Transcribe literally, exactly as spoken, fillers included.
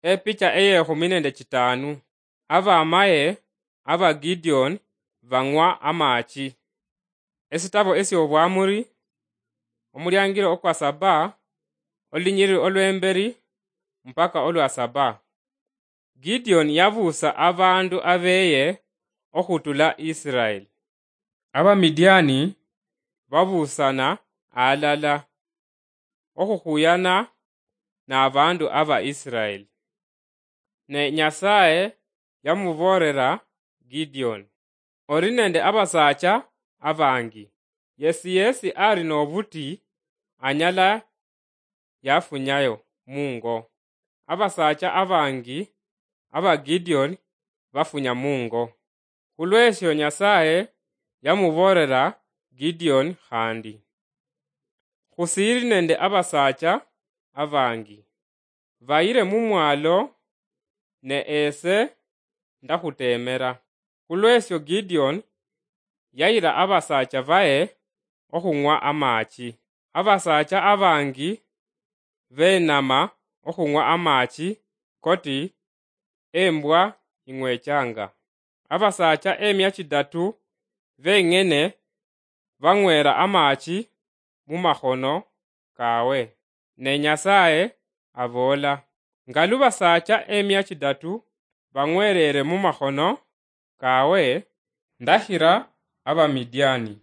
Epicha eyekhumi nende chitanu. Abamaye aba Gideon bang'wa amachi. Esitabo esyobwamuri, omuliangiro okwa saba, olunyiriri olwemberi mpaka olwa saba. Gideon yabuusa abandu abeye okhutula Israel. Abamidiani babuusana alala okhukhuyana nabandu aba Israel. Ne Nyasaye yamuboolera Gideon, "Oli nende abasaacha abangi. Yesi yesi ali nobuti anyala yafunyayo mungo." Abasaacha abangi aba Gideon bafunya mungo. Khulwesyo Nyasaye yamuboolera Gideon khandi, "Khusiiri nende abasaacha abangi. Bayire mumwalo, ne ese ndakhuteemera." Khulwesyo Gideon yayira abasaacha baye okhung'wa amachi. Abasaacha abangi beenama okhung'wa amachi koti embwa ing'wechanga. Abasaacha emia chidatu beng'ene bang'wera amachi mumakhono kawe. Ne Nyasaye aboola, "Nga lu basaacha emia chidatu bang'werere mumakhono kawe, ndakhira Abamidiani